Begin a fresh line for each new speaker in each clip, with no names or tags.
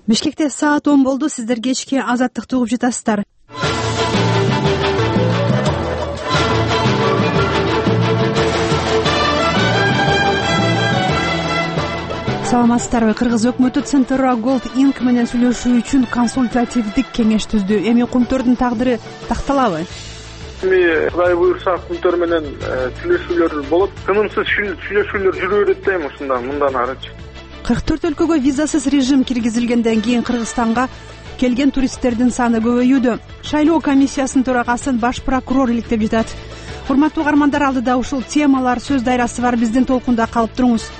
Бишкекте саат 10 болду. Сиздер кечки Азаттыкты угуп жатасыздар. Саламатсыздарбы? Кыргыз өкмөтү Центра Gold Inc менен сүйлөшүү үчүн консультативдик кеңеш түздү. Эми Кумтөрдүн тагдыры такталабы?
Эми Кудай буйрса Кумтөр менен сүйлөшүүлөр болот. Тынымсыз сүйлөшүүлөр жүрө берет дейм мындан арычы.
44 өлкөгө визасыз режим киргизилгенден кийин Кыргызстанга келген туристтердин саны көбөйүүдө. Шайлоо комиссиясынын төрагасын баш прокурор иликтеп жатат. Урматтуу угармандар, алдыда ушул темалар сөз дайрасы бар. Биздин толкунда калып туруңуз.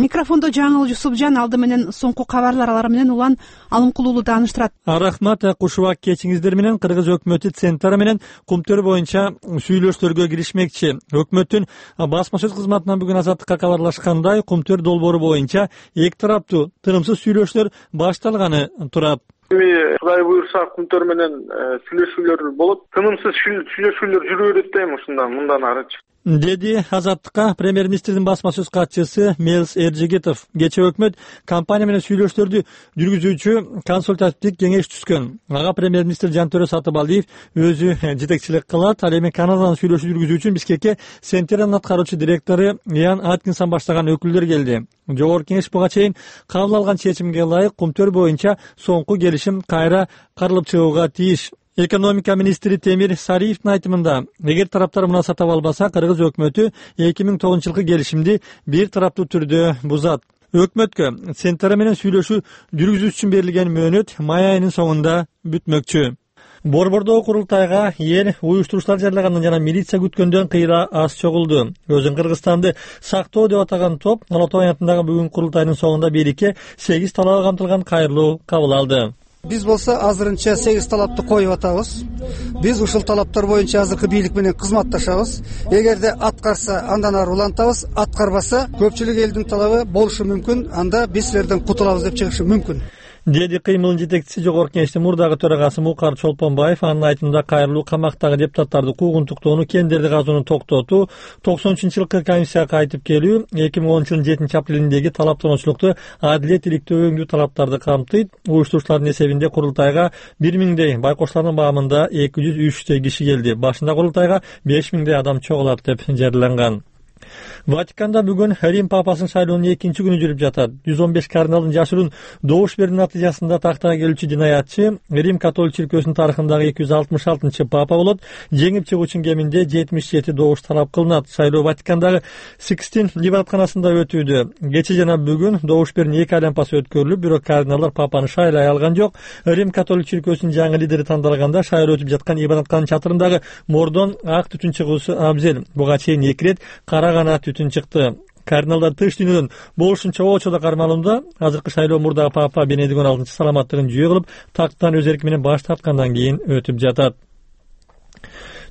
Микрофондо Жаңыл Жусупжан, алды менен соңку кабарлар, алар менен Улан Алымкулуулу тааныштырат.
Рахмат, кушубак кечиңиздер менен. Кыргыз өкмөтү Центра менен Кумтөр боюнча сүйлөшүүлөргө киришмекчи. Өкмөттүн басма сөз кызматынан бүгүн Азаттыкка кабарлашкандай, Кумтөр долбоору боюнча эки тараптуу тынымсыз сүйлөшүүлөр башталганы турат.
Эми Кудай буйрса Кумтөр менен сүйлөшүүлөр болот. Тынымсыз сүйлөшүүлөр жүрө берет дейм мындан арычы,
деди Азаттыкка премьер-министрдин басма сөз катчысы Мелс Эржигитов. Кечээ өкмөт компания менен сүйлөшүүлөрдү жүргүзүүчү консультативдик кеңеш түзгөн. Ага премьер-министр Жантөрө Сатыбалдиев өзү жетекчилик кылат. Ал эми Канададан сүйлөшүү жүргүзүү үчүн Бишкекке Центрнын аткаруучу директору Иан Аткинсон баштаган өкүлдөр келди. Жогорку кеңеш буга чейин кабыл алган чечимге ылайык Кумтөр боюнча соңку келишим кайра каралып чыгууга тийиш. Экономика министри Темир Сариевдин айтымында, эгер тараптар муну сатып албаса, Кыргыз өкмөтү 2009-жылкы келишимди бир тараптуу түрдө бузат. Өкмөткө Центра менен сүйлөшүү жүргүзүү үчүн берилген мөөнөт май айынын соңунда бүтмөкчү. Борбордогу курултайга эл уюштуруучулар жарылагандан жана милиция күткөндөн кыйра аз чогулду. Өзүн Кыргызстанды сактоо деп атаган топ Ала Тоо аянтындагы бүгүнкү курултайдын соңунда бийликке 8 талабы камтылган кайрылуу кабыл алды.
Биз болсо азырынча 8 талапты коюп атабыз. Биз ушул талаптар боюнча азыркы бийлик менен кызматташабыз. Эгерде аткарса, андан ары улантабыз, аткарбаса, көпчүлүк элдин талабы болушу мүмкүн, анда биз силерден кутулабыз деп чыгышы мүмкүн,
деди кыймылдын жетекчиси Жогорку кеңештин мурдагы төрагасы Мукар Чолпонбаев. Анын айтымында кайрылуу камактагы депутаттарды куугунтуктоону, кендерди казууну токтотуу, 93-жылкы комиссияга кайтып келүү, 2010-жылдын 7-апрелиндеги талаптануучулукту адилет иликтөө талаптарды камтыйт. Уюштуруучулардын эсебинде курултайга 1000дей, байкоштардын баамында 203 киши келди. Башында курултайга 5000 адам чогулат деп жарыяланган. Ватиканда бүгүн Рим папасынын шайлоонун 2-күнү жүрүп жатат. 115 кардиналдын жашыруун добуш берүү натыйжасында тактага келүүчү жинаятчы Рим католик чиркөөсүнүн тарыхындагы 266 папа болот. Жеңип чыгуучунун кеминде 77 добуш талап кылынат. Шайлоо Ватикандагы Сикстин ибадатканасында өтүүдө. Кечээ жана бүгүн добуш берүүнүн 2 айланпасы өткөрүлүп, бирок кардиналдар папаны шайлай алган жок. Рим католик чиркөөсүнүн жаңы лидери тандалганда шайлоо өтүп жаткан ибадаткананын чатырындагы мордон ак түтүн чыгуусу абзел. Буга чейин 2 рет кара гана түтүн чыкты. Кардиналдар тыш дүйнөдөн болушунча очодо кармалууда. Азыркы шайлоо мурдагы папа Бенедикт 16 саламаттыгын жүйө кылып, тактан өз эрки менен баш тарткандан кийин өтүп жатат.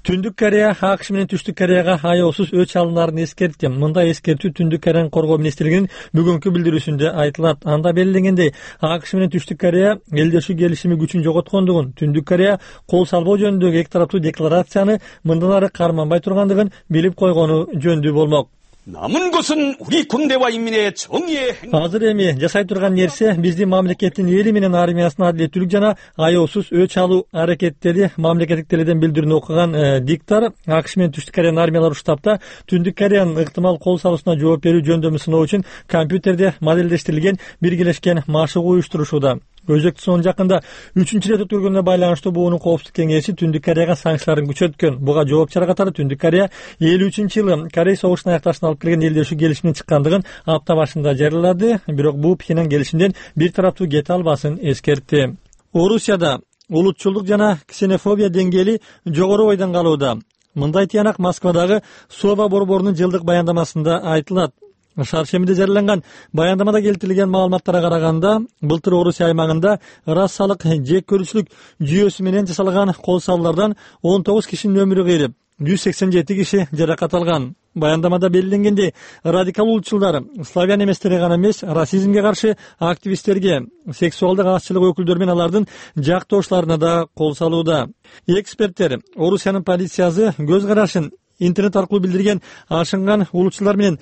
Түндүк Корея АКШ менен Түштүк Кореяга аяосуз өч алынаарын эскертти. Мындай эскертүү Түндүк Кореянын коргоо министрлигинин бүгүнкү билдирүүсүндө айтылат. Анда белгиленгендей, АКШ менен Түштүк Корея элдешүү келишими күчүн жоготкондугун, Түндүк Корея кол салбоо жөнүндөгү эки тараптуу декларацияны мындан ары карманбай тургандыгын билип койгону жөндүү болмок.
남은 것은 우리 군대와 인민의 정의의
Азыр эми жасай турган нерсе биздин мамлекеттин эли менен армиясынын адилеттүүлүк жана аяосуз өч алуу аракеттери. Мамлекеттик теледен билдирүүнү окуган диктор АКШ менен Түштүк Кореянын армиялары штабта Түндүк Кореянын ыктымал кол салуусуна жооп берүү жөндөмү сыноо үчүн компьютерде модельдештирилген биргелешкен машык уюштурушууда. Өзөктү сонун жакында 3-рет өткөргөнүнө байланыштуу буунун коопсуздук кеңеши Түндүк Кореяга санкцияларын күчөткөн. Буга жооп чара катары Түндүк Корея 53-жылы Корей согушунун аякташына алып келген элдешүү келишимдин чыккандыгын апта башында жарыялады. Бирок бул Пхеньян келишимден бир тараптуу кете албасын эскертти. Орусияда улутчулдук жана ксенофобия деңгээли жогору бойдон калууда. Мындай тыянак Москвадагы Сова борборунун жылдык баяндамасында айтылат. Шаршемиде жарыяланган баяндамада келтирилген маалыматтарга караганда, былтыр Орусия аймагында расалык жек көрүүчүлүк жүйөсү менен жасалган кол салуулардан 19 кишинин өмүрү кыйрып, 187 киши жаракат алган. Баяндамада белгиленгендей, радикал улутчулдар славян эместерге гана эмес, расизмге каршы активисттерге, сексуалдык азчылык өкүлдөрү менен алардын жактоошуларына да кол салууда. Эксперттер Орусиянын полициясы көз карашын интернет аркылуу билдирген ашынган улутчулар менен